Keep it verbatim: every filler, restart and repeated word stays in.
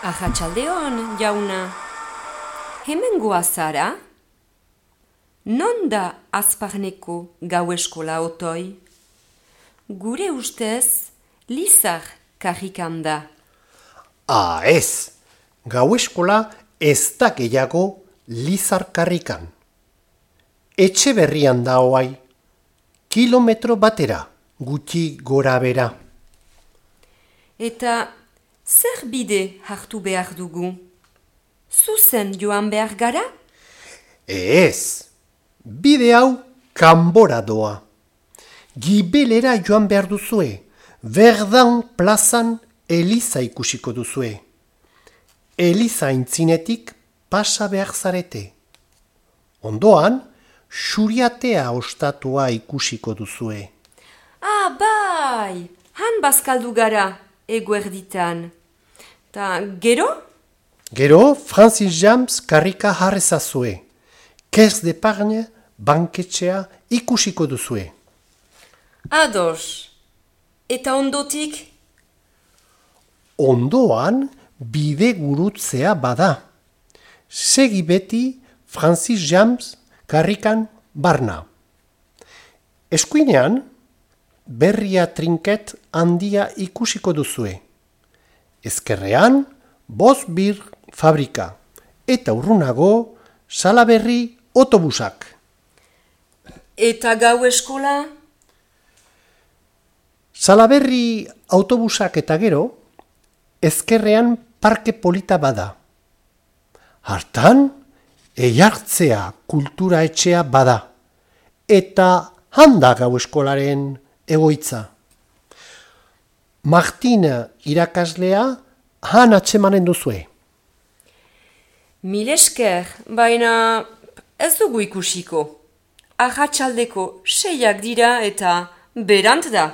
Arratsaldeon, jauna. Hemen goazara? Non da Azparneko gau eskola otoi? Gure ustez, Lizar karrikan da. Ah, ez! Gau eskola ez da gehiago Lizar karrikan. Etxe berrian da hoai. Kilometro batera, gutxi gora bera. Eta zer bide hartu behar dugu? Zuzen joan behar gara? Ez! Bide hau kanbora doa. Gibelera joan behar duzue. Verdan plazan Eliza ikusiko duzue. Eliza aintzinetik pasa behar zarete. Ondoan, Xuriatea ostatua ikusiko duzue. Ah, bai! Han bazkaldu gara, eguerditan. Ta gero? Gero, Francis James karrika jarrezazue. Kers d'Epargne banketxea ikusiko duzue. Ados. Eta ondotik? Ondoan, bide gurutzea bada. Segi beti Francis James karrikan barna. Eskuinean, berria trinket handia ikusiko duzue. Ezkerrean, boz bir fabrika. Eta urrunago, Salaberri autobusak. Eta gau eskola? Salaberri autobusak eta gero, ezkerrean parke polita bada. Hartan, eiartzea kultura etxea bada. Eta handa gau eskolaren egoitza. Martin irakaslea han atsemanen duzue. Mil esker, baina ez dugu ikusiko. Arratsaldeko seiak dira eta berant da.